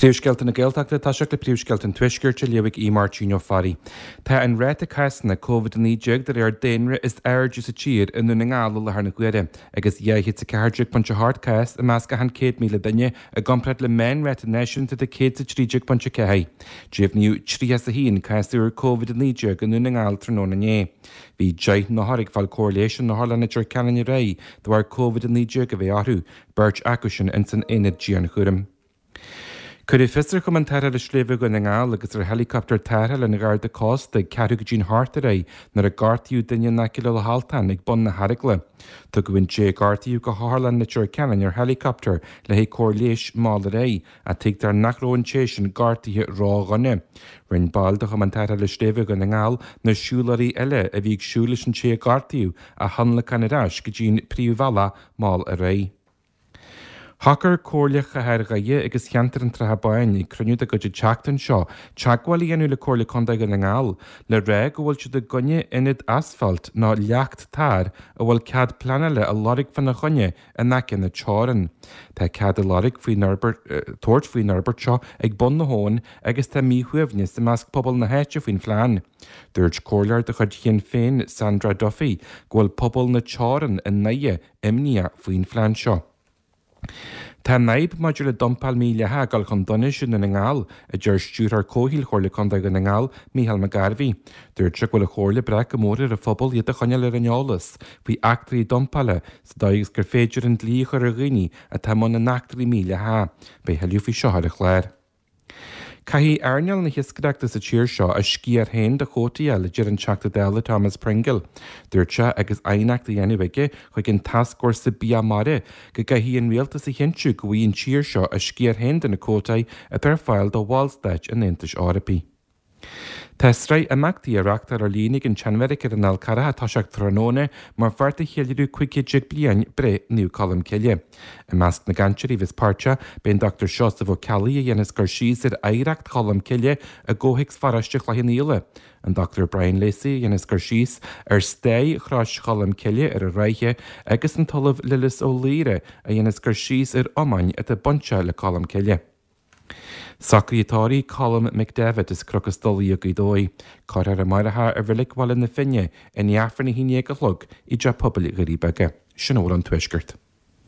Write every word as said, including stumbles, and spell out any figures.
Príomhscéalta na Gaeltachta ag toiseacht le príomhscéalta an Tuaiscirt á léamh ag Aodh Máirtín Ó Fearraigh. Tá an ráta cásanna Covid a naoi déag de réir daonra is airde sa tír i nDún na nGall i láthair na huaire, agus dhá chéad is a ceathair déag pointe a hocht cás i measc achan céad míle duine i gcomparáid le meánráta náisiúnta de céad is a trí déag pointe a ceathair. Deimhníodh tríocha is a haon cás úr Covid a naoi déag i nDún na nGall tráthnóna inné. Bhí deich n-othar ag fáil cóir leighis in Otharlann Leitir Ceanainn aréir de bharr Covid a naoi déag a bheith orthu, beirt acu sin ins an aonad dianchúraim. Cuireadh fios ar Chumann Tarrthála Sléibhe Dhún na nGall agus ar heileacoptar tarrthála an Gharda Cósta ag ceathrú go dtí'n hocht aréir nuair a gortaíodh duine in aice le Loch Altáin ag bun na hEaragla. Tugadh an té a gortaíodh go hOtharlann Leitir Ceanainn ar heileacoptar le haghaidh cóir leighis mall ar aghaidh, ach tuigtear nach raibh an té sin gortaithe ródhona. Rinne baill de Chumann Tarrthála Sléibhe Dhún na nGall na siúlóirí eile a bhí ag siúl leis an té a gortaíodh a thionlacan ar ais go dtí'n príomhbhealach mall ar aghaidh. Shocair Comhairle Chathair Dhoire agus Cheantar an tSratha Báin ag cruinniú dá gcuid an tseachtain seo teagmháil a dhéanamh le Comhairle Contae Dhún na nGall le rá go bhfuil siad i gcoinne ionad asfalt nó leacht tar a bhfuil cead pleanála á lorg fána choinne in aice na teorann. Tá cead á lorg faoin fhorbairt tabhairt faoin fhorbairt seo ag bun na habhann agus tá míshuaimhneas i measc pobal na háite faoin phlean. Dúirt comhairleoir de chuid Shinn Féin, Sandra Duffy, go bhfuil pobal na teorann i nDoire imníoch faoin phlean seo. Tá an fhadhb maidir le dumpáil mhídhleathach ag dul chun donais i nDún na nGall, a deir Stiúrthóir Comhshaoil Chomhairle Contae Dhún na nGall, Mícheál McGarvey. Dúirt sé go bhfuil an Chomhairle ag brath go mór ar an phobal iad a choinneáil ar an eolas faoi eachtraí dumpála sa dóigh is gur féidir an dlí a chur ar dhaoine atá i mbun na n-eachtraí mídhleathacha. Beidh tuilleadh faoi seo ar an chlár. Caithfidh earnáil na hiascaireachta sa tír seo a sciar féin de chuótaí a fháil, a deir an Teachta Dála Thomas Pringle. Dúirt sé, agus aighneacht á dhéanamh aige chuig an Tascfhórsa Bia Mara, go gcaithfidh an rialtas a chinntiú go bhfaighidh an tír seo a sciar féin de na cuótaí atá ar fáil do bhallstáit an Aontais Eorpaigh. Tá sraith imeachtaí á reáchtáil ar líne ag an tSeanbheairic ar an Fhál Carrach ag toiseacht tráthnóna mar pháirt de cheiliúradh cúig chéad déag bliain breith Naomh Colm Cille. I measc na gcainteoirí a bheas páirteach, beidh an Dochtúir Seosamh Ó Ceallaigh a dhéanfas cur síos ar oidhreacht Cholm Cille i gcomhthéacs pharóiste Chloich Cheann Fhaola, an Dochtúir Brian Lacey a dhéanfas cur síos ar stair Chrois Cholm Cille ar an Ráithe agus an tOllamh Lillis Ó Laoire a dhéanfas cur síos ar iomáin atá bainteach le Colm Cille. Socruithe tórraimh Colm McDevitt as Cnoc an Stolaire Gaoth Dobhair. Cuirfear amárach é i Reilig Bhaile na Finne i ndiaidh Aifreann a haon déag a chlog i dTeach Pobail Dhoirí Beaga. Sin a bhfuil ón Tuaisceart.